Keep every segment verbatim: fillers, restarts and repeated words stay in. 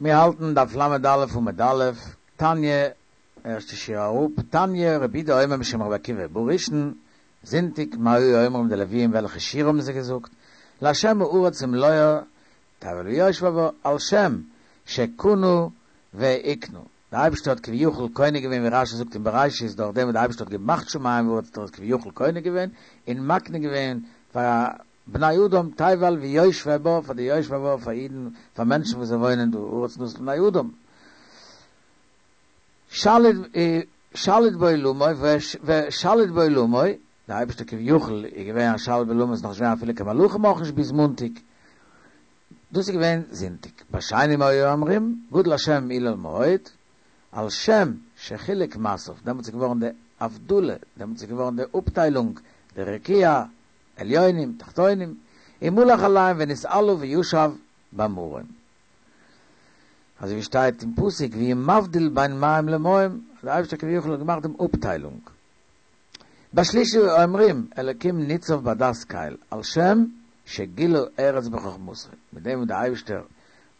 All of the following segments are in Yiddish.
מיר האלטן דף ל"א עמוד א', תניא, ערשטע שורה אראפ, תניא, רבי יהודה אומר משום רבי עקיבא, בראשון, זונטאג, מה היו אומרים די לוויים וועלכע שירה האבן זיי געזאגט, להשם הארץ ומלואה, תבל ויושביה בה, על שם שקנו והקנו. דער אייבערשטער האט כביכול קונה געווען ווי רשי זאגט אין בראשית דורך דעם וואס דער אייבערשטער האט געמאכט שמים וארץ האט ער עס כביכול קונה געווען און מקנה געווען פאר בני אדם תבל ויושביה בה פאר די יושביה בה פאר אידן פאר מענטשן וואס זיי וואוינען דא הארץ נתן לבני אדם שליט שליט בעולמו ושליט בעולמו דער אייבערשטער כביכול איז געווען א שליט בעולמו איז נאך נישט געווען אפילו קיין מלאכים אויך נישט ביז מאנטאג דאס איז געווען זונטאג. בשני מה היו אומרים, גדול השם ומהולל מאוד, על שם שחילק מעשיו, דעמאלטס איז געווארן די הבדלה, דעמאלטס איז געווארן די אפטיילונג, די רקיע, עליונים, תחתונים, ומלך עליהם ונתעלה וישב במרום. אזוי ווי שטייט אין פסוק והוא מבדיל בין מים למים, אז דער אייבערשטער כביכול האט געמאכט דעם אפטיילונג. בשלישי אומרים, אלקים ניצב בעדת קל, על שם שגילה ארץ בחכמתו, מיט דעם וואס דער אייבערשטער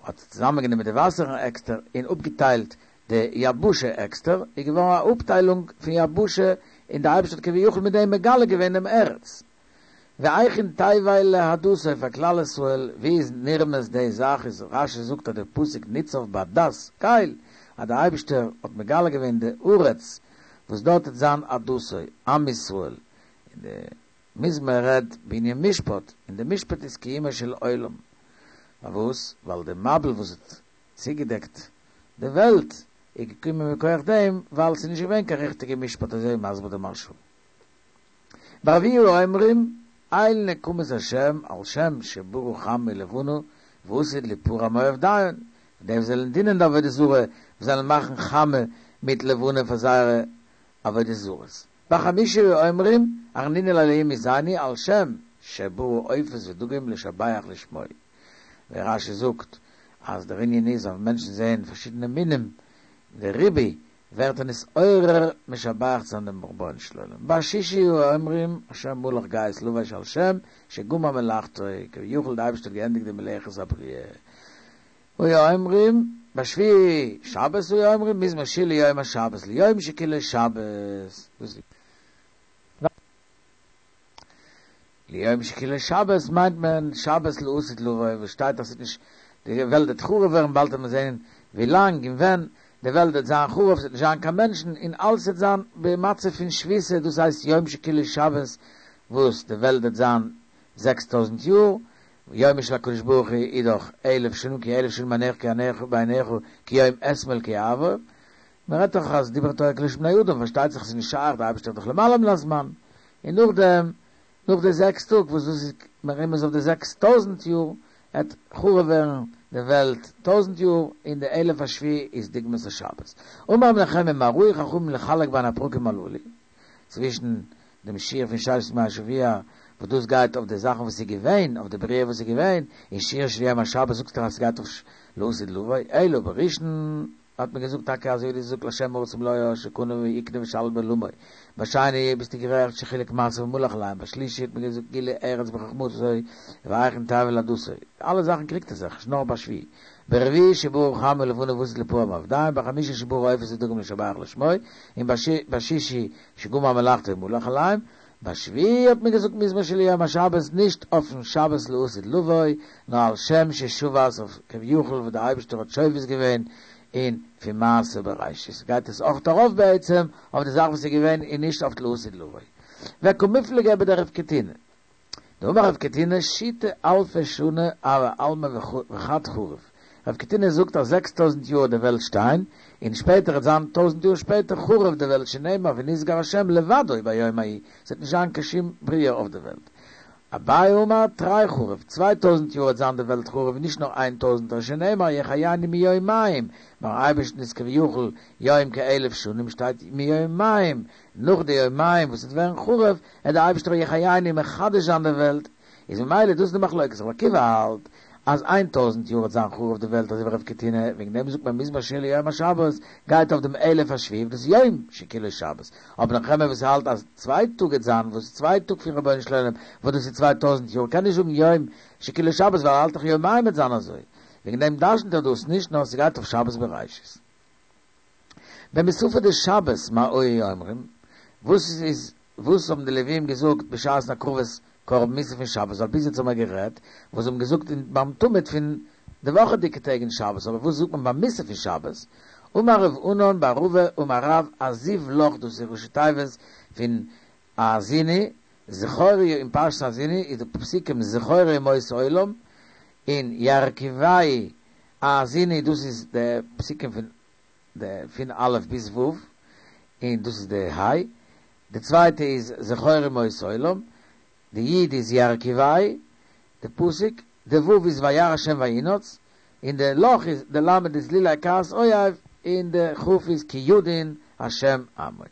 האט צוזאמענגענומען די וואסערן עקסטער און אפגעטיילט די יבשה עקסטער, איז געווארן א אפטיילונג פון יבשה, און דער אייבערשטער האט כביכול מיט דעם מגלה געווען דעם ארץ. והיכן תבל לעדתו פאר כלל ישראל, ווי איז נרמז די זאך איז רשי זאגט אז די פסוק ניצב בעדת קל, אז דער אייבערשטער האט מגלה געווען די ארץ וואס דארט וועט זיין עדתו, עם ישראל, און די מזמור רעדט בענין משפט, און די משפט איז קיומו של עולם. פארוואס? ווייל די מבול וואס האט צוגעדעקט די וועלט איז געקומען מכח דעם ווייל ס'איז נישט געווען קיין ריכטיגע משפט אזוי מסביר די מהרשא. ברביעי היו אומרים אל נקמות השם על שם שברא חמה ולבנה ועתיד ליפרע מעובדיהן, די וואס זעלן דינען די עבודה זרה, וואס זעלן מאכן חמה מיט לבנה פאר זייערע עבודה זרות. בחמישי היו אומרים הרנינו לאלהים עוזנו על שם שברא עופות ודגים לשבח לשמו. ווי רשי זאגט אז דער ענין איז אז מענטשן זעען פארשידענע מינים, די ריבוי ווערט ער נתעורר משבח צו זיין דעם רבונו של עולם. בשישי היו אומרים השם מלך גאות לבש על שם שגמר מלאכתו, כביכול די אייבערשטער האט געענדיגט די מלאכת הבריאה. היו אומרים בשביעי שבת היו אומרים מזמור שיר ליום השבת ליום שכולו שבת. דאס ליום שכולו שבת מיינט מען שבת לעתיד לבוא וואס שטייט אז ס'וועט נישט די וועלט וועט חרוב ווערן באלד וועט מען זען ווי לאנג און ווען די וועלט וועט זיין חרוב ס'וועט נישט זיין קיין מענטשן און אלעס וועט זיין במצב פון שביתה דאס הייסט יום שכולו שבת וואס די וועלט וועט זיין זעקס טויזנט יאר יומו של הקדוש ברוך הוא איז דאך אלף שנים כי אלף שנים בעיניך בעיניך כיום אתמול כי יעבור מען רעדט דאך אז דברה תורה כלשון בני אדם פארשטייט זיך ס'איז נישט שייך די אייבערשטער איז דאך למעלה מן הזמן און נאכדעם נאך די זעקס טאג וואס דאס איז מרומז אויף די זעקס טויזנט יאר עט חרוב ווערן די וועלט טויזנט יאר און די אלף השביעי איז דוגמת השבת. אמר רבי נחמיה מה ראו חכמים לחלק בין הפרקים הללו צווישן דעם שיר פון ששת ימי השבוע וואס דאס גייט אויף די זאכן וואס איז געווען אויף די בריאה וואס איז געווען און שיר של יום השבת זאגט ער אז ס'גייט אויף לעתיד לבוא אלא בראשון האט מען געזאגט טאקע אזוי ווי דו זאגסט להשם הארץ ומלואה שקנה והקנה ושליט בעולמו בשני ביסטו גערעכט שחילק מעשיו ומלך עליהם בשלישי האט מען געזאגט גילה ארץ בחכמתו והיכן תבל לעדתו אלע זאכן קריגט ער זיך נישט נאר בשביעי ברביעי שברא חמה ולבנה ועתיד ליפרע מעובדיהן בחמישי שברא עופות ודגים לשבח לשמו און בשישי שגמר מלאכתו ומלך עליהם בשביעי האט מען געזאגט מזמור שיר ליום השבת נישט אויפן שבת לעתיד לבוא נאר על שם ששבת אויף כביכול וואס דער אייבערשטער האט שובת געווען און פון מעשה בראשית גייט עס אויך ארויף בעצם אויף די זאך וואס איז געווען און נישט אויף לעתיד לבוא. וקמיפלגי בדרב קטינא. דאמר רב קטינא שיתא אלפי שני הוי עלמא וחד חרוב. רב קטינא זאגט אז זעקס טויזנט יאר וועט די וועלט שטיין, און שפעטער וועט זיין טויזנט יאר שפעטער חרוב די וועלט שנאמר ונשגב השם לבדו ביום ההוא, ס'וועט נישט זיין קיין שום בריאה אויף די וועלט. אביי אמר תרי חרוב, צוויי טויזנט יאר וועט זיין די וועלט חרוב און נישט נאר איין טויזנטער שנאמר יחייני מיומים, ביים אייבערשטן איז כביכול יום כאלף שנים שטייט מיומים, נאך די יומיים וואס וועט ווערן חרוב וועט די אייבערשטער יחייני מחדש זיין די וועלט, איז ממילא דאס איז די מחלוקת רבי עקיבא האלט אז איין טויזנט יאר וועט זיין חרוב די וועלט אזוי ווי רב קטינא, וועגן דעם זאגט מען מזמור שיר ליום השבת גייט אויף דעם אלף השביעי דאס יום שכולו שבת, אבער נחמיה וואס האלט אז צוויי טאג וועט זיין וואס איז צוויי טאג פון רבונו של עולם וואס דאס איז צוויי טויזנט יאר קען נישט זאגן יום שכולו שבת ווייל ער האלט דאך יומיים וועט זיין אזוי וועגן דעם דרשנט ער דאס נישט, נאר ס'גייט אויף שבת בראשית. במוספי דשבת מה היו אומרים, וואס איז, וואס האבן די לווים געזאגט בשעת הקרבת קרבן מוסף פון שבת, ווייל ביז יעצט האבן מיר גערעדט וואס זיי האבן געזאגט אין ביים תמיד פון די וואכעדיגע טעג אין שבת, אבער וואס זאגט מען ביים מוסף פון שבת? אמר רב ענן בר רבא אמר רב אזיב לך, דאס איז ראשי תיבות פון האזיני, זכור אין פרשת האזיני איז די פסוקים זכור ימות עולם, און ירכבהו האזיני דאס איז די פסוקים פון די פון א' ביז ו', און דאס איז די ה', די צווייטע איז זכור ימות עולם, די י' איז ירכבהו, די פסוק, די ו' איז וירא השם וינאץ, און די לך איז, די ל' איז לולא כעס אויב, און די כ' איז כי ידין השם עמו.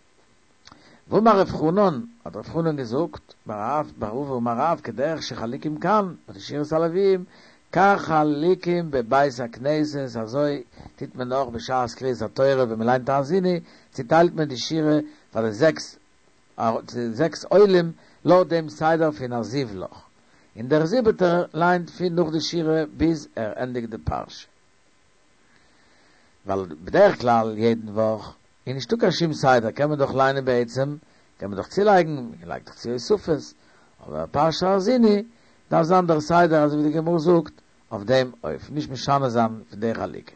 ואמר רב חנן, האט רב חנן געזאגט, בר רב, בר רבא אמר רב, כדרך שחלוקים כאן, ביי די שירת הלוויים, כך חלוקים בבית הכנסת, אזוי טוט מען אויך בשעת קריאת התורה ווען מען ליינט האזיני, צוטיילט מען די שירה פאר די זעקס זעקס עולים לויט דעם סדר פון אזיב לך, און דער זיבעטער ליינט פון נאך די שירה ביז ער ענדיגט די פרשה. ווייל בדרך כלל יעדן וואך איז נישטא קיין שום סדר, קען מען דאך ליינען בעצם, קען מען דאך צולייגן, מען לייגט דאך צו הוספות, אבער פרשת האזיני דארף זיין דער סדר אזוי ווי די גמרא זאגט אויף דעם אופן, נישט משנה זיין פון די חלוקה.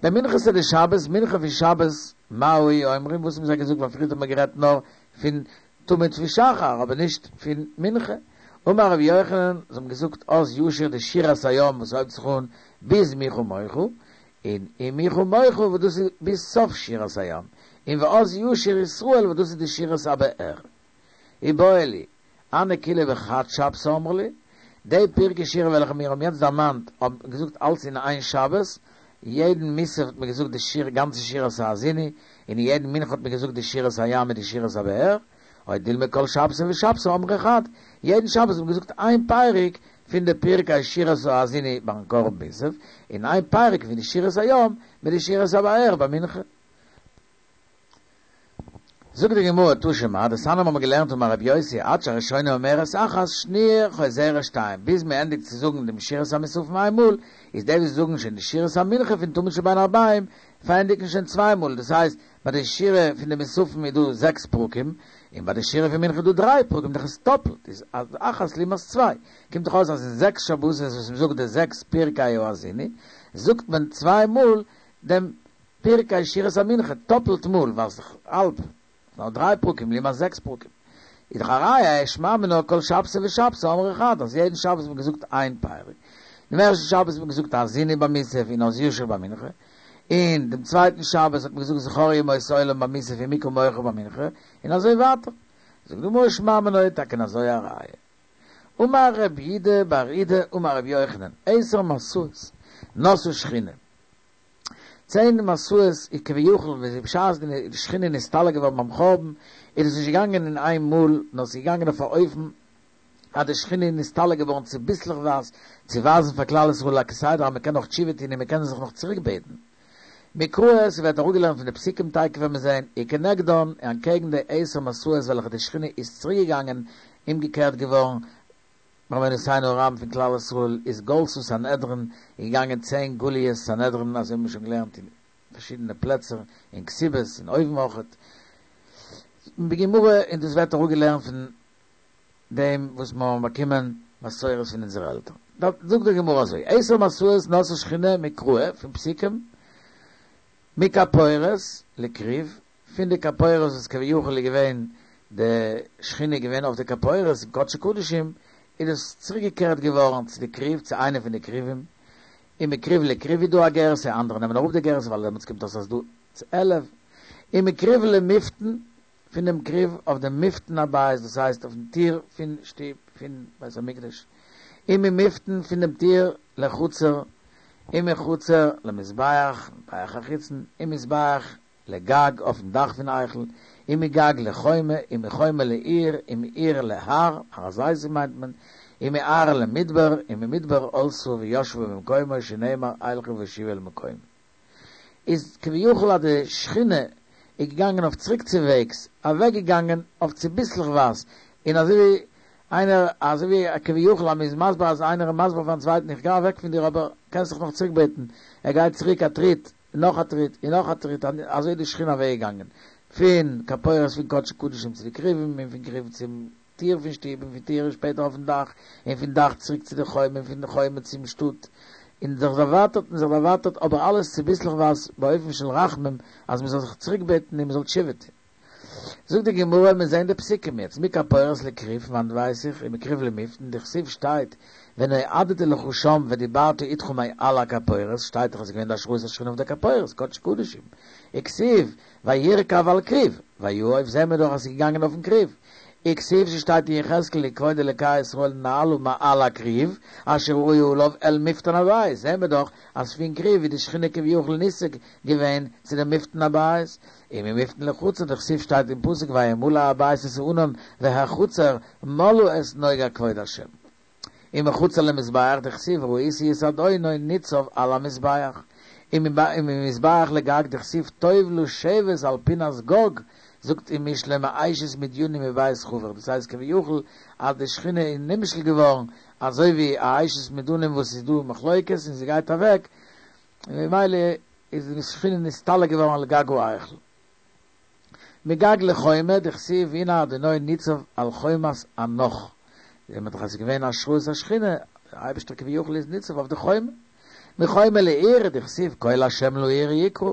במנחתא דשבת, מנחה פון שבת, מה היו אומרים, וואס האבן זיי געזאגט, ווייל פריערט האט מען גערעדט נאר פון תמיד פון שחר, אבער נישט פון מנחה. אמר רבי יוחנן, זיי האבן געזאגט אז ישיר די שירת הים וואס הויבט זיך אן ביז מי כמוך, און און מי כמוך וואס דאס איז ביז סוף שירת הים, און ואז ישיר ישראל וואס דאס איז די שירת הבאר. איבעיא להו, הני כולהו בחד שבתא אמרי להו, די פרקי שירה וועלכע מיר האבן יעצט דערמאנט האבן געזאגט אלץ אין איין שבת, יעדן מוסף האט מען געזאגט די שיר גאנצע שירת האזיני, און אין יעדן מנחה האט מען געזאגט די שירת הים מיט די שירת הבאר, או דילמא כל שבתא ושבתא אמרי חד, יעדן שבת האט מען געזאגט איין פרק פון די פרקי שירת האזיני ביים קרבן מוסף, און איין פרק פון די שירת הים מיט די שירת הבאר ביי מנחה. זאגט די גמרא תא שמע, דתניא האבן מיר געלערנט אמר רבי יוסי עד שהראשונה אומרת אחת שניה חוזרת שתיים, ביז מען ענדיגט צו זאגן דעם שירת המוספים איין מאל, איז די וואס זאגן שוין די שירת המנחה פון תמיד של בין הערביים פארענדיגן שוין צוויי מאל, דאס הייסט ביי די שירה פון די מוספים איז דא זעקס פרקים, און ביי די שירה פון מנחה איז דא דריי פרקים, דאך איז טאפלט, איז אחת לעומת צוויי, קומט דאך אויס אז אין זעקס שבתות וואס מען זאגט די זעקס פרקי האזיני, זאגט מען צוויי מאל דעם פרקי שירת המנחה, טאפלט מאל, ווייל ס'איז דאך האלב, נאר דריי פרקים לעומת זעקס פרקים. איז דאך א ראיה, שמע מינה כל שבתא ושבתא אמרי חד, אז יעדן שבת האט מען געזאגט איין פרק. דעם ערשטן שבת האט מען געזאגט האזיני ביי מוסף און אז ישיר ביי מנחה, און דעם צווייטן שבת האט מען געזאגט זכור ימות עולם ביי מוסף און מי כמוך ביי מנחה, און אזוי ווייטער. זאגט די גמרא שמע מינה איז טאקע אזוי א ראיה. אמר רב יהודה בר אידי אמר רבי יוחנן, עשר מסעות נסעה שכינה. צען מסעות איז כביכול ווען בשעת די שכינה איז נסתלק געווארן ביים חורבן איז עס נישט געגאנגען אין איין מאל נאר עס איז געגאנגען אויף א אופן אז די שכינה איז נסתלק געווארן צוביסלעכווייז צו ווייזן פאר כלל ישראל א כסדר אז מען קען נאך תשובה טון און מען קען זיך נאך צוריק בעטן. מקרא ס'ווערט אראפגעלערנט פון די פסוקים תיכף וועט מען זען וכנגדן און אנטקעגן די עשר מסעות וועלכע די שכינה איז צוריק געגאנגען אומגעקערט געווארן בעוונותינו הרבים פון כלל ישראל איז גלתה סנהדרין איז געגאנגען צען גליות סנהדרין אזוי האבן מיר שוין געלערנט אין פארשידענע פלעצער אין כתובות און אויבן אויכעט בגמרא און דאס ווערט אראפגעלערנט פון דעם וואס מיר האבן באקומען מסורת פון אונזערע עלטערן זאגט די גמרא אזוי עשר מסעות נסעה שכינה מקרא פון פסוקים מכפורת לכרוב פון די כפורת וואס כביכול איז געווען די שכינה איז געווען אויף די כפורת אין קדשי קדשים, איז דאס צוריקגעקערט געווארן צו די כרוב, צו איינע פון די כרובים, און מכרוב לכרוב איז דא א גירסא, אנדערע נעמען אראפ די גירסא ווייל דעמאלטס קומט אויס אז דא עלף, און מכרוב למפתן, פון דעם כרוב אויף דעם מפתן הבית, דאס הייסט אויפן טיר פון שטוב פון בית המקדש, און ממפתן פון דעם טיר לחצר, און מחצר למזבח, מזבח החיצון, און מזבח לגג, אויפן דאך פון היכל, און מגג לחומה, און מחומה לעיר, און מעיר להר, הר הזיתים מיינט מען, און מהר למדבר, און ממדבר עלתה וישבה במקומה, שנאמר אלכה ואשובה אל מקומי. איז כביכול אז די שכינה איז געגאנגען אויף צוריקצווועגס, אוועקגעגאנגען אויף צוביסלעכווייז, און אזוי ווי איינער, אזוי ווי כביכול אז מען איז מסביר אז איינער איז מסביר פארן צווייטן איך גיי אוועק פון דיר אבער קענסט זיך נאך צוריקבעטן, ער גייט צוריק א טריט, און נאך א טריט, און נאך א טריט, אזוי איז די שכינה אוועקגעגאנגען, פון כפורת פון קדשי קדשים צו די כרובים, און פון כרובים צום טיר פון שטוב, און פון טיר שפעטער אויפן דאך, און פון דאך צוריק צו די חומה, און פון די חומה צום שטאט, און זיך דערווייטערט און זיך דערווייטערט, אבער אלעס צוביסלעכווייז באופן של רחמים, אז מען זאל זיך צוריקבעטן און מען זאל תשובה טון. זאגט די גמרא, מיר זעען די פסוקים יעצט, מכפורת לכרוב, פון וואנעט ווייס איך, ומכרוב למפתן, דכתיב שטייט, ונועדתי לך שם ודיברתי אתך מעל הכפורת, שטייט דאך אז עס איז געווען די השראת השכינה אויף די כפורת, קדש קדשים, וכתיב, וירכב על כרוב, ויעף זעען מיר דאך אז עס איז געגאנגען אויפן כרוב, וכתיב ס'שטייט אין יחזקאל וכבוד אלקי ישראל נעלה מעל הכרוב אשר היה עליו אל מפתן הבית, זעהן מיר דאך אז פון כרוב איז די שכינה כביכול נישא געווען צו דעם מפתן הבית, וממפתן לחצר דכתיב שטייט אין פסוק וימלא הבית את הענן והחצר מלאה את נוגה כבוד השם. ומחצר למזבח דכתיב וראיתי את אדוני ניצב על המזבח. וממזבח לגג דכתיב טוב לשבת על פינת גג זאגט אין משלי מאשת מדינים ובית חבר, דאס הייסט כביכול אז די שכינה איז נמשל געווארן אזוי ווי א אשת מדינים וואס איז דא מחלוקת און זי גייט אוועק, און ממילא איז די שכינה נסתלק געווארן על גג ההיכל. מגג לחומה, דכתיב והנה אדוני ניצב על חומת אנך, זעהט מען דאך אז ס'איז געווען השראת השכינה, דער אייבערשטער כביכול איז ניצב אויף די חומה. מחומה לעיר, דכתיב קול השם לעיר יקרא,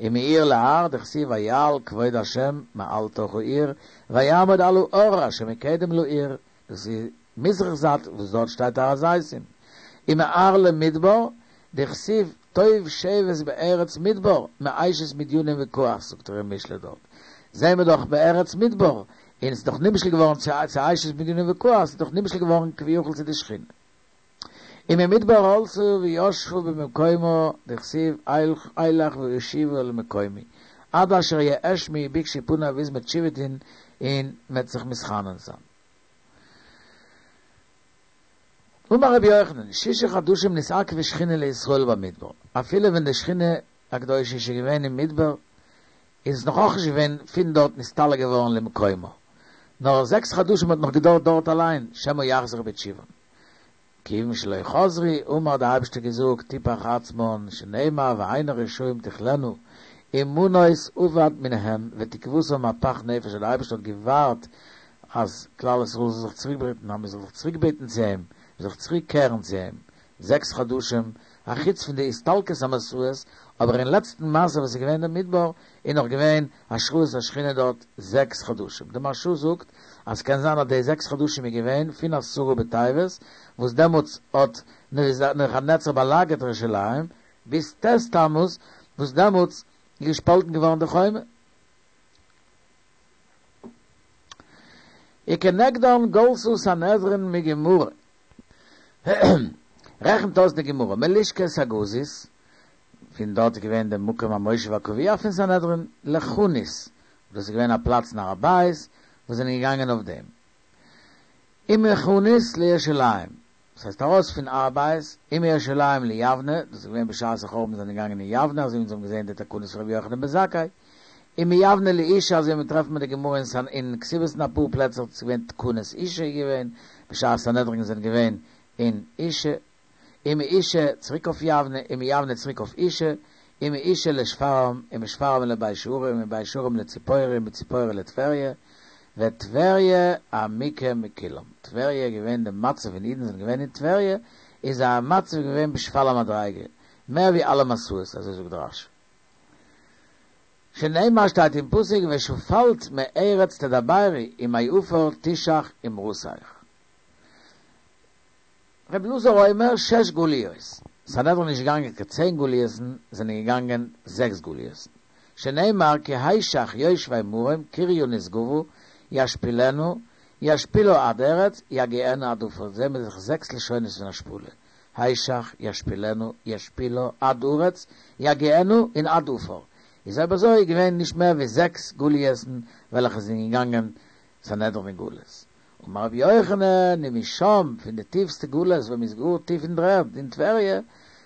ומעיר להר, דכתיב ויעל כבוד השם מעל תוך העיר, ויעמוד על ההר אשר מקדם לעיר, דאס איז מזרח זייט וואס דארט שטייט הר הזיתים, ומהר למדבר, דכתיב טוב שבת בארץ מדבר, מאשת מדינים וכעס, זאגט ער אין משלי דארט, זעהן מיר דאך בארץ מדבר, און ס'איז דאך נמשל געווארן צו אשת מדינים וכעס, איז דאך נמשל געווארן כביכול צו די שכינה. וממדבר עלתה וישבה במקומה דכתיב אלך ואשובה אל מקומי עד אשר יאשמו ובקשו פני ביז מ'עט תשובה טון און מ'עט זיך מתחנן זיין. אמר רבי יוחנן, שישה חדשים נתעכבה שכינה לישראל במדבר, אפילו ווען די שכינה הקדושה איז שוין געווען אין מדבר, איז עס נאך אויך נישט געווען פון דארט נסתלק געווארן למקומה, נאר זעקס חדשים האט נאך געדויערט דארט אליין, שמא יחזרו בתשובה. כיוון שלא חזרו, אמר האט דער אייבערשטער געזאגט, תפח עצמן, שנאמר ועיני רשעים תכלינה, ומנוס אבד מן הם, ותקוותם מפח נפש, אז דער אייבערשטער האט געווארט אז כלל ישראל זאל זיך צוריקבעטן, אז מען זאל זיך צוריקבעטן צו אים, מען זאל זיך צוריקקערן צו אים, זעקס חדשים, א חוץ פון די הסתלקות המסעות, אבער אין לעצטן מסע וואס איז געווען אין מדבר, איז נאך געווען השראת השכינה דארט זעקס חדשים. די מהרש"א זאגט אז ס'קען זיין אז די זעקס חדשים איז געווען פון עשרה בטבת, וואס דעמאלטס האט נבוכדנצר באלאגערט ירושלים, ביז ט' תמוז, וואס דעמאלטס איז געשפאלטן געווארן די חומה. וכנגדן גלתה סנהדרין מגמרא. רעכנט אויס די גמרא, מלשכת הגזית, פון דארט איז געווען די מקום המושב הקבוע פון סנהדרין, לחנית, דאס איז געווען א פלאץ אין הר הבית, וואס זענען געגאנגען אויף דעם. ומחנית לירושלים, דאס הייסט ארויס פון הר הבית, ומירושלים ליבנה, דאס איז געווען בשעת החורבן זענען געגאנגען אין יבנה, אזוי ווי אונז האבן געזען די תקנות פון רבי יוחנן בן זכאי, ומיבנה לאושא, אזוי ווי מ'טרעפט מיט די גמרא אין אין כתובות אין אפאר פלעצער, ס'איז געווען תקנות אושא איז געווען, בשעת סנהדרין זענען געווען אין אושא, ומאושא צוריק אויף יבנה, ומיבנה צוריק אויף אושא, ומאושא לשפרעם, ומשפרעם לבית שערים, ומבית שערים לציפורי, ומציפורי לטבריה, וטבריה עמיקה מכולם, טבריה איז געווען די מצב ווען אידן זענען געווען אין טבריה, איז זייער מצב געווען בשפל המדריגה, מער ווי אלע מסעות, אזוי זאגט רש"י. שנאמר שטייט אין פסוק ושפלת מארץ תדברי ומעפר תשח אמרתך. ר' אלעזר אומר שש גליות, סנהדרין נישט געגאנגען קיין צען גליות'ן, זענען געגאנגען זעקס גליות'ן, שנאמר כי השך יושבי מרום קריה נשגבה ישפילנה ישפילה עד ארץ יגיענה עד עפר, זעהן מיר זיך זעקס לשונות פון השפלה, השך, ישפילנה, ישפילה, עד ארץ, יגיענה און עד עפר, איז אויב אזוי געווען נישט מער ווי זעקס גליות'ן וועלכע זענען געגאנגען סנהדרין אין גלות. אמר רבי יוחנן, ומשם, פון די טיפסטע גלות ווען מ'איז גאר טיף אין דר'ערד, אין טבריה,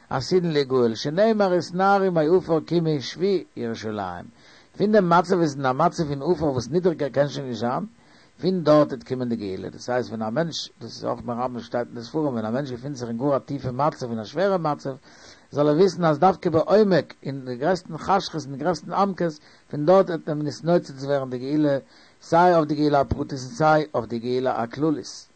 עתידין ליגאל, שנאמר התנערי מעפר קומי שבי ירושלים. פון דעם מצב איז אין א מצב פון עפר וואס נידריגער קען שוין נישט זיין, פון דארט וועט קומען די גאולה, דאס הייסט ווען א מענטש, דאס איז אויך מרמז שטייט אין די ספרים, ווען א מענטש געפינט זיך אין גאר א טיפע מצב, אין א שווערע מצב, זאל ער וויסן אז דווקא בעומק, אין די גרעסטן חשכות, אין די גרעסטן עמקות, פון דארט וועט מען נתנוצץ ווערן די גאולה, סיי אויף די גאולה הפרטית און סיי אויף די גאולה הכללית.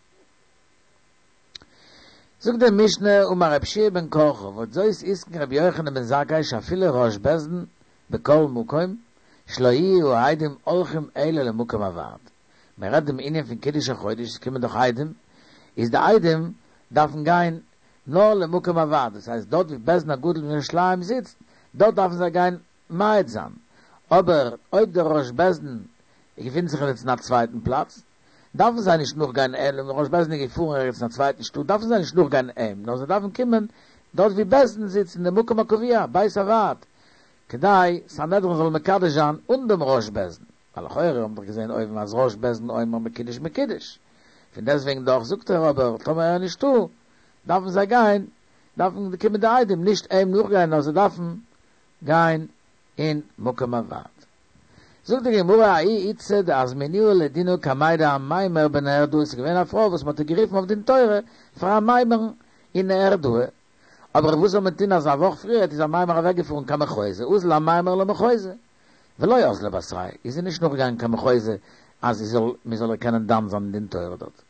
זאגט די משנה אמר רב שיע בן קרחה ועוד זאת התקין רבי יוחנן בן זכאי שאפילו ראש בית דין בכל מקום שלא יהיו העדים הולכים אלא למקום הוועד. מען רעדט דעם ענין פון קידוש החודש, עס קומען דאך עדים, איז די עדים דארפן גיין נאר למקום הוועד, דאס הייסט דארט ווי בית דין הגדול אין ירושלים זיצט, דארט דארפן זיי גיין מעיד זיין, אבער אויב דער ראש בית דין געפינט זיך ערגעץ אין א צווייטן פלאץ, דארפן זיי נישט נאכגיין אים, אויב דער ראש בית דין איז געפארן ערגעץ אין א צווייטן שטאט, דארפן זיי נישט נאכגיין אים, נאר זיי דארפן קומען דארט ווי בית דין זיצט אין דעם מקום הקבוע, בית הוועד, כדי סנהדרין זאל מקדש זיין אן דעם ראש בית דין, ווייל לכאורה האבן דאך געזען אויבן אז ראש בית דין אומר מקודש מקודש, פון דעסטוועגן דאך זאגט ער אבער טאמער ער איז נישטא, דארפן זיי גיין, דארפן קומען די עדים נישט אים נאכגיין נאר זיי דארפן גיין אין מקום הוועד. זאגט די גמרא ההיא איתתא דאזמינוה לדינא קמיה דאמימר בנהרדעא עס איז געווען א פרוי וואס מען האט איר גערופן אויף דין תורה פאר אמימר'ן אין נהרדעא, אבער וואס זאל מען טון אז א וואך פריערט איז אמימר אוועק געפארן קיין מחוזא, אזל אמימר למחוזא, ולא אזלה בתריה, איז זי נישט נאכגעגאנגען קיין מחוזא אז זי זאל מען זאל איר קענען דן זיין אין דין תורה דארט.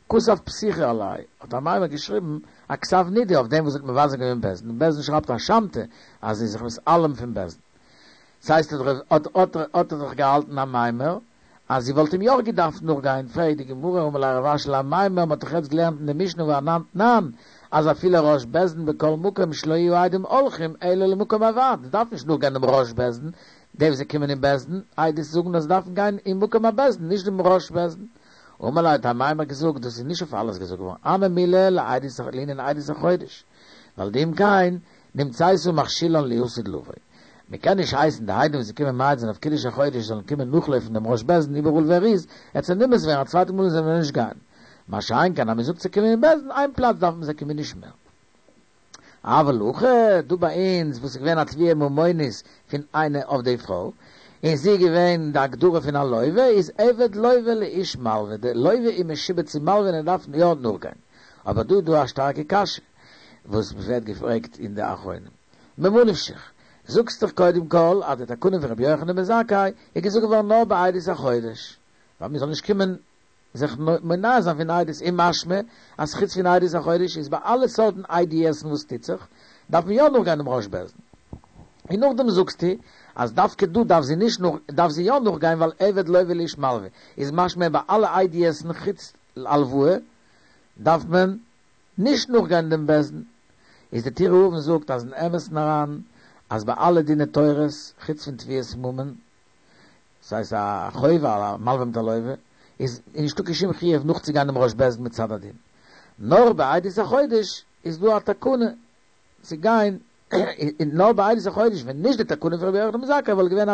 כתב פתיחה עליה, האט אמימר געשריבן א כתב נידוי אויף דעם וואס האט מבזה געווען בית דין, און בית דין שרייבט א שמתא אז זי איז זיך מתעלם פון בית דין. ס'הייסט האט האט האט ער זיך געהאלטן אמימר אז זי וואלט אים יא געדארפט נאכגיין, פרעגט די גמרא אמר ליה רב אשי לאמימר, מ'האט דאך יעצט געלערנט אין די משנה והאנן תנן אז אפילו ראש בית דין בכל מקום שלא יהיו העדים הולכים אלא למקום הוועד, מ'דארף נישט נאכגיין דעם ראש בית דין, די וואס זיי קומען אין בית דין עדות זאגן אז זיי דארפן גיין אין מקום הבית דין נישט דעם ראש בית דין. אמר ליה האט אמימר געזאגט דאס איז נישט אויף אלעס געזאגט געווארן, הני מילי לעדות לענין עדות החודש, ווייל דאם כן נמצאת מכשילן לעתיד לבוא. מען קען נישט הייסן די עדים וואס זיי קומען מעיד זיין אויף קידוש החודש זאלן קומען נאכלויפן דעם ראש בית דין איבעראל וואו ער איז, עט זיי נמאס ווערן א צווייטע מאל זאלן זיי נישט גיין. מה שאין כן אז מען זאגט זיי קומען אין בית דין איין פלאץ דארף מען זיי קומען נישט מער. אבל הכא, דא ביי אונז וואס איז געווען א תביעה ממונית פון איינע אויף די פרוי, און זי איז געווען די הגדרה פון א לוה, איז עבד לוה לאיש מלוה, די לוה איז משועבד צום מלוה און ער דארף יא נאכגיין. אבער דא איז דא א שטארקע קשיא וואס ווערט געפרעגט אין די אחרונים. ממה נפשך? זאגסט דאך קודם כל אז די תקנה פון רבי יוחנן בן זכאי איז געזאגט געווארן נאר ביי עדות החודש, ווייל מען זאל נישט קומען זיך מונע זיין פון עדות, און משמע אז חוץ פון עדות החודש איז ביי אלע סארטן עדות'ן וואס טוט זיך, דארף מען יא נאכגיין דעם ראש בית דין. און נאכדעם זאגסטו אז דווקא דא דארף זי נישט נאך דארף זי יא נאכגיין ווייל עבד לוה לאיש מלוה, איז משמע ביי אלע עדות'ן חוץ הלוואה דארף מען נישט נאכגיין דעם בית דין. איז די טורי אבן זאגט אז אין אמת'ן אריין אז ביי אלע דיני תורות חוץ פון תביעת ממון, ס'הייסט א חוב א מלווה מיט א לווה, איז נישטא קיין שום חיוב נאכצוגיין דעם ראש בית דין מצד הדין. נאר ביי עדות החודש איז דא א תקנה צו גיין, און נאר ביי עדות החודש ווען נישט די תקנה פון רבי יוחנן בן זכאי וואלט געווען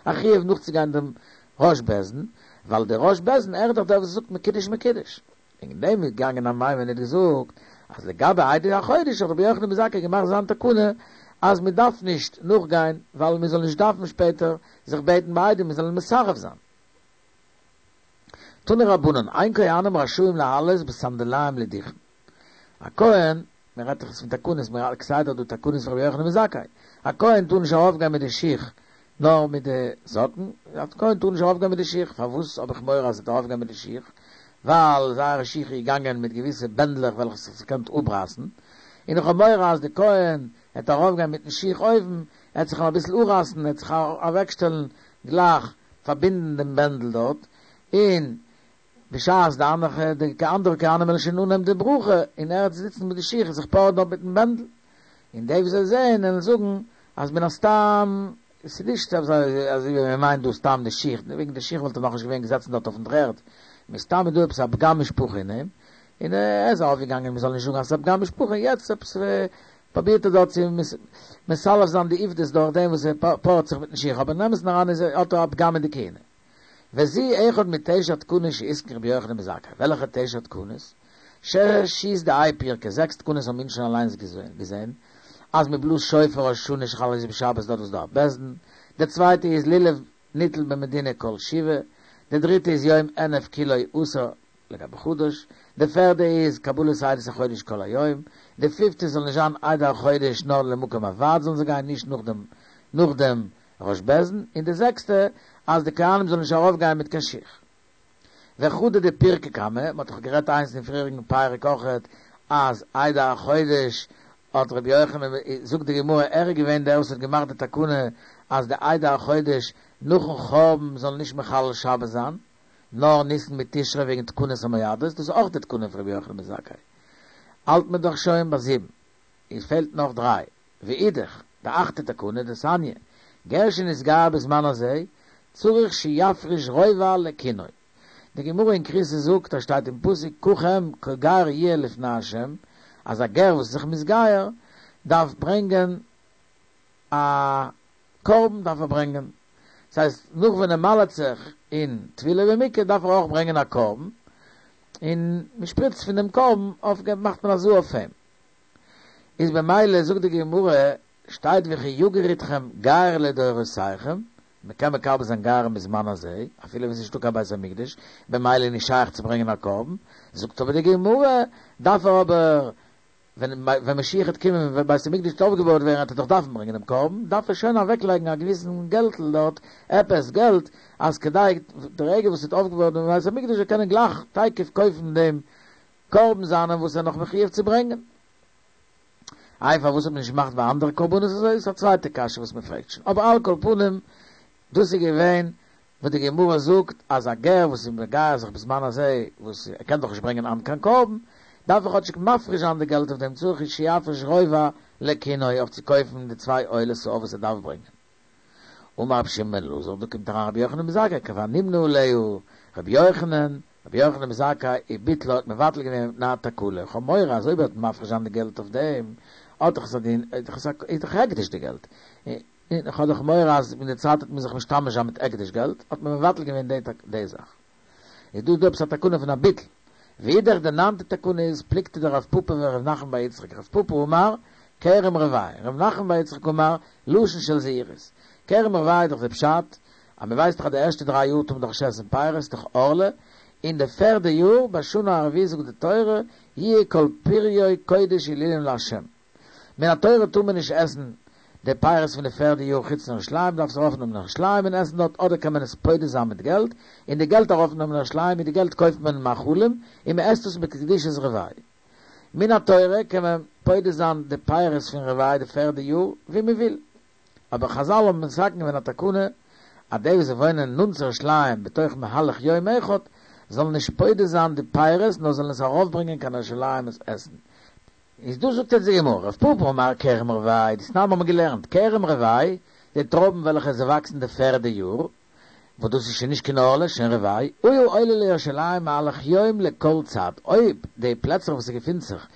א חיוב נאכצוגיין דעם ראש בית דין, ווייל דער ראש בית דין ער איז דאך דער וואס זאגט מקודש מקודש. וועגן דעם איז געגאנגען אמימר און האט געזאגט אז לגבי עדות החודש האט רבי יוחנן בן זכאי געמאכט זיין תקנה אז מען דארף נישט נאכגיין ווייל מען זאל נישט דארפן שפעטער זיך בעטן ביי עדים מען זאל מסרב זיין. תנו רבנן, אין כהנים רשאים לעלות בסנדליים לדוכן. א כהן, מען רעדט דאך יעצט פון תקנות, מען רעדט כסדר דא תקנות פון רבי יוחנן בן זכאי, א כהן טאר נישט ארויפגיין מיט די שיך נאר מיט די זאקן, א כהן טאר נישט ארויפגיין מיט די שיך, פארוואס האב איך מורא אז ער וועט ארויפגיין מיט די שיך? ווייל זייערע שיך איז געגאנגען מיט געוויסע בענדלעך וועלכע ס'האט זיך געקענט אפרייסן, און איך האב מורא אז די כהן העט ארויפגיין מיטן שיך אויבן, העט זיך אים אביסל אפרייסן, העט זיך אוועקשטעלן גלייך פארבינדן דעם בענדל דארט, און בשעת די אנדערע די אנדערע כהנים וועלן שוין אנהייבן די ברכה, און ער העט זיצן מיט די שיך און זיך פארען דארט מיטן בענדל, און די וואס זיי זעען וועלן זאגן אז מן הסתם ס'איז נישט אזוי ווי מען מיינט דא סתם די שיך, וועגן די שיך וואלט ער נאכנישט געווען געזעצן דארט אויפן דר'ערד, מסתם איז דא עפעס א פגם משפחה אין אים, און ער איז ארויפגעגאנגען מען זאל נישט זאגן אז ס'איז א פגם משפחה, יעצט עפעס פרובירט ער דארט צו מסלף זיין די עובדות דורך דעם וואס ער פארעט זיך מיטן שיך, אבער אין אמת'ן אריין איז ער האט ער א פגם אין די כהונה. וזו אחד מתשע תקנות שהתקין רבי יוחנן בן זכאי, וועלכע תשע תקנות? שש איז דהאי פירקא, זעקס תקנות האבן מיר שוין אליינס געזען, אז מען בלאזט שופר ראש השנה שחל להיות בשבת דארט וואס דא א בית דין, די צווייטע איז לולב ניטל במדינה כל שבעה, די דריטע איז יום ענף כולו אסור לגבי חדש, די פערדע איז קבלת עדות החודש כל היום, די פיפטע זאל נישט זיין עדי החודש נאר למקום הוועד זאלן זיי גיין נישט נאך דעם נאך דעם ראש בית דין, און די זעקסטע אז די כהנים זאלן נישט ארויפגיין מיט קיין שיך. וחדא דפירקא קמא, מ'האט דאך גערעדט איינס אין פריעריגן פרק אויכעט אז עדי החודש האט רבי יוחנן, זאגט די גמרא ער איז געווען דער וואס האט געמאכט די תקנה אז די עדי החודש נאכן חורבן זאלן נישט מחלל שבת זיין, נאר ניסן מיט תשרי וועגן תקנת המועדות, דאס איז אויך די תקנה פון רבי יוחנן בן זכאי. האלט מען דאך שוין ביי זיבן, עס פעלט נאך דריי. ואידך, די אכטע תקנה, דתניא, גר שנתגייר בזמן הזה, צריך שיפריש רובע לקינו. די גמרא אין כריתות זאגט, אז שטייט אין פסוק ככם כי גר יהיה לפני ה', אז א גר וואס איז זיך מתגייר דארף ברענגען א קרבן דארף ער ברענגען, דאס הייסט נאך ווען ער מל'עט זיך אין טבילה במקווה דארף ער אויך ברענגען א קרבן, און מען שפריצט פון דעם קרבן אויף מאכט מען הזאה אויף אים. איז במילא זאגט די גמרא, שטייט וכי יגור אתכם גר לדורותיכם, מען קען מקבל זיין גרים בזמן הזה, אפילו ווען ס'איז נישטא קיין בית המקדש, במילא איז נישט שייך צו ברענגען א קרבן, זאגט אבער די גמרא, דארף ער אבער, ווען ווען משיח וועט קומען ווען בית המקדש וועט אויפגעבויעט ווערן וועט ער דאך דארפן ברענגען דעם קרבן, דארף ער שוין אוועקלייגן א געוויסן געלטל דארט, עפעס געלט, אז כדי די רגע וואס ס'וועט אויפגעבויעט ווערן בית המקדש זאל קענען גלייך תיכף קויפן דעם קרבן זיינעם וואס ער איז נאך מחויב צו ברענגען. איי פארוואס האט מען נישט געמאכט ביי אנדערע קרבנות אזוי? איז א צווייטע קשיא וואס מען פרעגט שוין, אבער על כל פנים דאס איז געווען וואס די גמרא זאגט אז א גר וואס איז מגייר זיך בזמן הזה וואס ער קען דאך נישט ברענגען היינט קיין קרבן דארף ער כאטשיג מפריש זיין די געלט אויף דעם צריך שיפריש רובע לקינו אויף צו קויפן די צוויי עולות שעיר וואס ער דארף ברענגען. אמר רבי שמעון בן אלעזר, דא קומט אריין רבי יוחנן בן זכאי כבר נמנה עליה רבי יוחנן, רבי יוחנן בן זכאי וביטלה האט מבטל געווען מפני התקלה, איך האב מורא אז אויב ער וועט מפריש זיין די געלט אויף דעם, האט דאך עס א דין, איז דאך הקדש די געלט, און איך האב דאך מורא אז אין די צייט וועט מען זיך משתמש זיין מיט הקדש געלט, האט מען מבטל געווען די זאך. איז דא דא עפעס א תקנה פון א ביטול. ואידך די ניינטע תקנה איז פלוגתא דרב פפא ורב נחמן בר יצחק, רב פפא אמר, כרם רבעי, רב נחמן בר יצחק אמר, לשון של זהירות. כרם רבעי איז דאך די פשט, אז מען ווייסט דאך אז די ערשטע דריי יאר טאר מען דאך נישט עסן פירות, דאך ערלה, אין די פערדע יאר, בשנה הרביעית זאגט די תורה, יהיה כל פריו קודש הילולים לה'. מן התורה טאר מען נישט עסן די פירות פון די פערדע יאר חוץ אין ירושלים, דארף עס ארויפנעמען אין ירושלים און עסן דארט, אדער קען מען עס פודה זיין מיט געלט, און די געלט ארויפנעמען אין ירושלים, מיט די געלט קויפט מען מאכלים, און מען עסט עס בקדושת רבעי. מן התורה קען מען פודה זיין די פירות פון רבעי די פערדע יאר ווי מען וויל. אבער חזל האבן מתקן געווען א תקנה אז די וואס וואוינען נאנט צו ירושלים בתוך מהלך יום אחד זאלן נישט פודה זיין די פירות נאר זאלן עס ארויפברענגען קיין ירושלים עס עסן. איז דא זאגט יעצט די גמרא, רב פפא אמר כרם רבעי, דתנן האבן מיר געלערנט, כרם רבעי, די טרויבן וועלכע זיי וואקסן די פערדע יאר, וואס דאס איז שוין נישט קיין ערלה, שוין רבעי, היה עולה לירושלים מהלך יום לכל צד, אויב די פלעצער וואס ס'געפינט זיך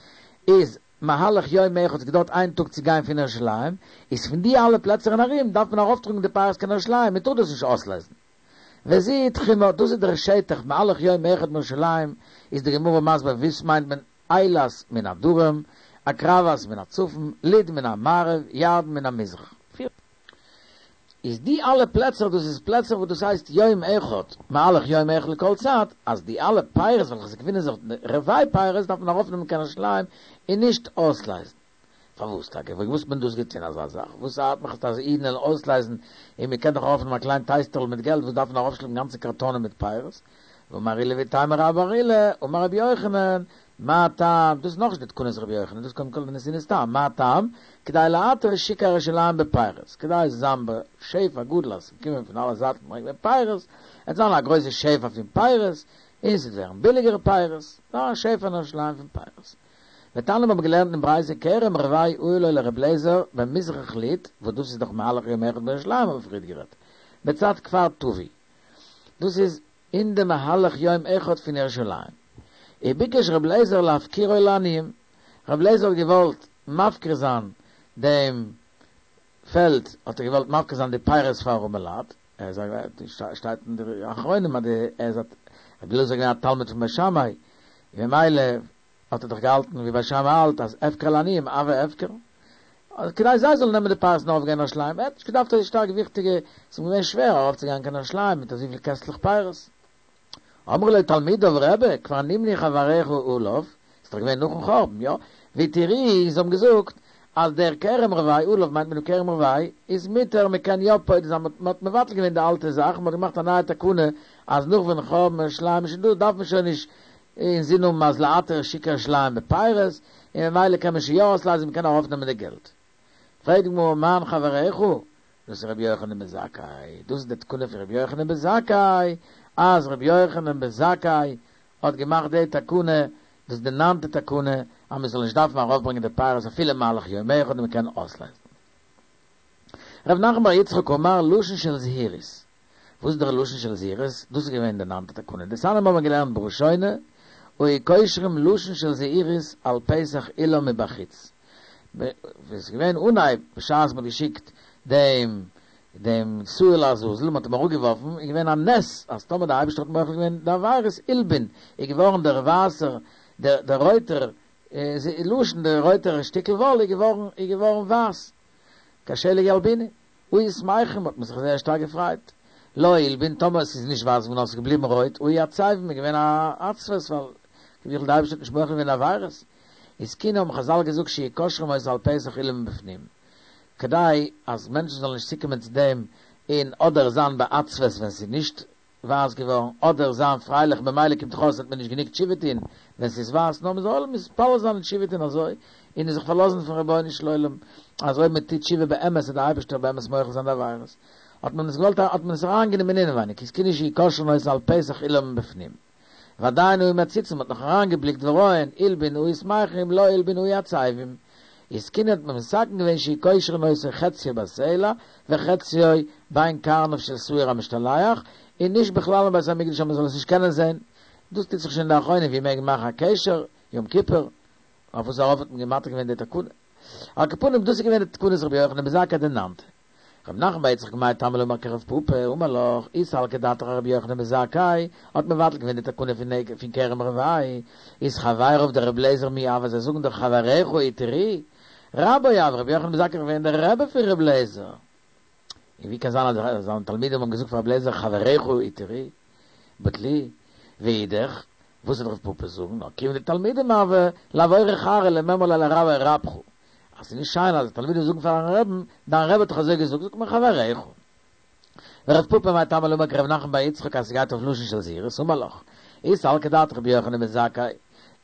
איז מהלך יום אחד ס'געדויערט איין טאג צו גיין פון ירושלים, איז פון די אלע פלעצער און ארום דארף מען ארויפטראגן די פירות קיין ירושלים, מען טאר דאס נישט אויסלייזן. וזו היא תחומא, דאס איז דער שטח מהלך יום אחד מירושלים, איז די גמרא מסביר וואס מיינט מען אילת מן הדרום, עקרבת מן הצפון, לוד מן המערב, ירדן מן המזרח. איז די אלע פלעצער דאס איז פלעצער וואס דאס הייסט יום אחד, מהלך יום אחד לכל צד, אז די אלע פירות וועלכע ס'געפינען זיך רבעי פירות דארף מען ארויפנעמען קיין ירושלים און נישט אויסלייזן. פארוואס טאקע? וואס האט מען דאס געטון אזא זאך? וואס ארט מיך אז אידן וועלן אויסלייזן און מען קען דאך ארויפנעמען א קליין טייסטערל מיט געלט וואס דארף מען ארויפשלעפן גאנצע קארטאנען מיט פירות? ואמר עולא ואיתימא רבה בר עולא, אמר רבי יוחנן, מה טעם, דאס איז נאכנישט די תקנת רבי יוחנן, דאס קודם כל די נתינת טעם, מה טעם, כדי לעטר שוקי ירושלים בפירות, כדי עס זאל זיין בשפע גדול אז ס'קומען פון אלע זייטן ברענגט מען פירות, עס זאל זיין א גרויסע שפע פון פירות, און ס'וועט ווערן ביליגערע פירות, א שפע אין ירושלים פון פירות. ותניא מיר האבן געלערנט אין ברייתא כרם רבעי היה לו לר' אליעזר במזרח לוד, וואס דאס איז דאך מהלך יום אחד מירושלים האבן מיר פריערט גערעדט, בצד כפר טובי, דאס איז אין די מהלך יום אחד פון ירושלים, וביקש ר' אליעזר להפקירו לעניים, ר' אליעזר האט געוואלט מפקיר זיין דעם פעלד, האט ער געוואלט מפקיר זיין די פירות פאר ארעמעלייט, ער איז א, שטייט אין די אחרונים אז די, ער איז א, ר' אליעזר איז געווען א תלמיד פון בית שמאי, ממילא האט ער דאך געהאלטן ווי בית שמאי האלט אז הפקר לעניים הוי הפקר, כדי זיי זאלן נעמען די פירות און ארויפגיין ירושלים, ער האט נישט געדארפט אזוי שטארק וויכטיגע, ס'איז אים געווען שווער ארויפצוגיין קיין ירושלים מיט אזויפיל קעסטלעך פירות. אמרו לו תלמידיו רבי, כבר נמנו חבריך עליו, איז דאך געווען נאכן חורבן, יא? והתירוהו, זיי האבן געזאגט אז דער כרם רבעי, עליו מיינט מען דא כרם רבעי, איז מותר, מען קען יא פודה זיין, מען האט מבטל געווען די אלטע זאך, מען האט געמאכט א נייע תקנה אז נאך ווען חורבן ירושלים איז שוין דא דארף מען שוין נישט אינזין האבן אז להתיר שוק ירושלים בפירות, און ממילא קען מען שוין יא אויסלייזן, מען קען ארויפנעמען די געלט. פרעגט די גמרא מאן חבריך? דאס איז רבי יוחנן בן זכאי, דאס איז די תקנה פון רבי יוחנן בן זכאי, אז רבי יוחנן בן זכאי האט געמאכט די תקנה, דאס איז די ניינטע תקנה, אז מען זאל נישט דארפן ארויפברענגען די פירות אפילו מהלך יום אחד און מען קען אויסלייזן. ר' נחמן בר יצחק אמר לשון של זהירות. וואס איז דער לשון של זהירות? דאס איז געווען די ניינטע תקנה. דתניא האבן מיר געלערנט בראשונה, היו קושרים לשון של זהירות על פתח אולם מבחוץ. ווען ס'איז געווען אנהייב בשעת מ'האט געשיקט דעם דעם שעיר לעזאזל, מ'האט אים אראפגעווארפן, איז געווען א נס אז טאמער דער אייבערשטער האט מוחל געווען די עבירות, הלבין, איז געווארן דער ווייסער, דער דער רויטער לשון, דער רויטער שטיקל וואל איז געווארן איז געווארן ווייס, כשלג ילבינו, היו שמחים, האט מען זיך זייער שטארק געפרייט. לא הלבין, טאמער עס איז נישט ווייס געווארן נאר עס איז געבליבן רויט, היו עצבין, איז געווען א עצבות ווייל כביכול דער אייבערשטער האט נישט מוחל געווען די עבירות. התקינו האבן חזל געזאגט שיהו קושרים אותו על פתח אולם מבפנים, כדי אז מענטשן זאלן נישט צוקומען צו דעם און אדער זיין בעצבות ווען ס'איז נישט ווייס געווארן, אדער זיין פרייליך במילא קומט דאך אויס וועט מען נישט גענוג תשובה טון ווען ס'איז ווייס, נאר מ'זאל מתפלל זיין און תשובה טון אזוי, און זיך פארלאזן אויפן רבונו של עולם אז אויב מ'טוט תשובה באמת וועט דער אייבערשטער באמת מוחל זיין די עבירות. האט מען עס געוואלט האט מען עס אריינגענומען אינעווייניג, התקינו שיהו קושרין אותו על פתח אולם מבפנים. ועדיין היו מציצין, מ'האט נאך אריינגעבליקט ורואין, הלבין היו שמחים, לא הלבין היו עצבין. התקינו האט מען מתקן געווען שיהו קושרין אותו חציו בסלע וחציו בין קרניו של שעיר המשתלח, און נישט בכלל אין בית המקדש אז מ'זאל עס נישט קענען זען. דאס טוט זיך שוין אין די אחרונים ווי מעג מען מאכן א קשר יום כיפור, אויף וואס ארויף האט מען מתיר געווען די תקנה. על כל פנים דאס איז געווען די תקנת רבי יוחנן בן זכאי די ניינטע. רב נחמן בר יצחק מאי טעמא לא אמר כרב פפא, אמר לך, אי סלקא דעתך רבי יוחנן בן זכאי האט מבטל געווען די תקנה פון כרם רבעי, איז חבריו דרבי אליעזר מי הוו, זיי זאגן דאך חבריך התירוהו, רבו הוה, רבי יוחנן בן זכאי איז געווען דער רבי פון רבי אליעזר, און ווי קען זיין אז זיינע תלמידים האבן געזאגט פאר רבי אליעזר חבריך התירוהו, בטלוהו, ואידך, וואס וועט רב פפא זאגן, נאר כיוון דתלמידים הוו, לעבורי כרעא למימר ליה לרביה רבך. אז ס'איז נישט שיין אז די תלמידים זאגן פארן רעבן, דיין רבי האט דאך אזוי געזאגט, זאגט מען חבריך. ורב פפא מאי טעמא לא אמר כרב נחמן בר יצחק אז ס'גייט אויף לשון של זהירות, אמר לך, אי סלקא דעתך רבי יוחנן בן זכאי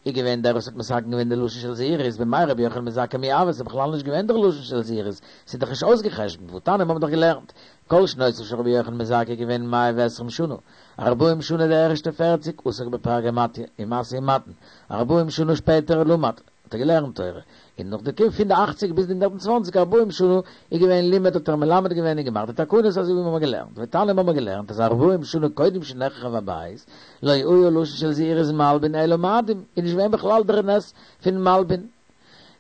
איז געווען דער וואס האט מתקן געווען די לשון של זהירות, במאי רבי יוחנן בן זכאי מי הוה, ס'איז בכלל נישט געווען דער לשון של זהירות, ס'איז דאך נישט אויסגע'חשבונ'ט, והתניא מיר האבן דאך געלערנט, כל שנותיו של רבי יוחנן בן זכאי געווען מאה ועשרים שנה, ארבעים שנה די ערשטע פערציג עסק בפרגימטיא, אין משא ומתן, ארבעים שנה שפעטער למד, האט ער געלערנט תורה, און נאך די קומט פון די אכציג ביז די הונדערט און צוואנציג ארבעים שנה איז געווען לימד האט ער מלמד געווען און געמאכט די תקנות אזוי ווי מיר האבן געלערנט, ותניא מיר האבן געלערנט אז ארבעים שנה קודם שנחרב הבית לא היה לשון של זהירות מלבין אלא מאדים, איז נישט געווען בכלל דער נס פון מלבין.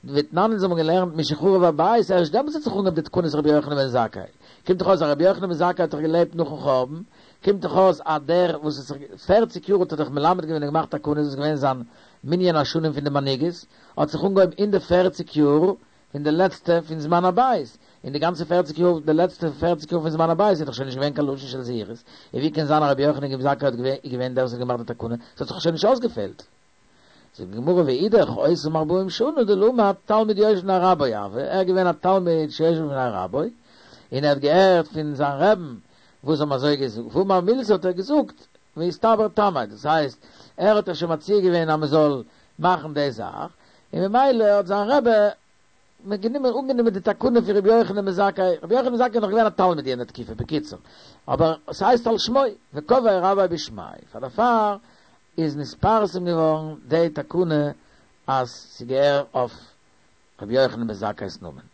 ותנן אונז האבן געלערנט משחרב הבית ערשט דעמאלטס האט זיך אנגעהויבן די תקנות רבי יוחנן בן זכאי, קומט דאך אויס אז רבי יוחנן בן זכאי האט דאך געלעבט נאכן חורבן, קומט דאך אויס אז דער וואס האט זיך פערציג יאר האט ער דאך מלמד געווען און געמאכט תקנות איז געווען זיין מנין השנים פון די מנהיגות האט זיך אנגעהויבן אין די פערציג יאר פון די לעצטע פון זמן הבית, און די גאנצע פערציג יאר די לעצטע פערציג יאר פון זמן הבית איז דאך שוין נישט געווען קיין לשון של זהירות, און ווי קען זיין אז רבי יוחנן בן זכאי האט איז געווען דער וואס האט געמאכט די תקנה, ס'האט זיך שוין נישט אויסגעפעלט. זאגט די גמרא ואידך אותם ארבעים שנה דלמד תלמיד יושב לפני רבו הוה, ער איז געווען א תלמיד שיושב לפני רבו, און ער האט געהערט פון זיין רעבן וואס האבן אזוי געזאגט, ואמר מילתא האט ער געזאגט ואיסתבר טעמיה, דאס הייסט ער האט שוין מציע געווען אז מען זאל מאכן די זאך, און ממילא האט זיין רבי גענומען אנגענומען די תקנה פון רבי יוחנן בן זכאי, רבי יוחנן בן זכאי איז נאך געווען א תלמיד יענע תקופה, בקיצור, אבער ס'הייסט על שמו, וקבעיה רביה בשמיה, פאר דערפאר איז נתפרסם געווארן די תקנה אז ס'געהער אויף רבי יוחנן בן זכאי'ס נאמען.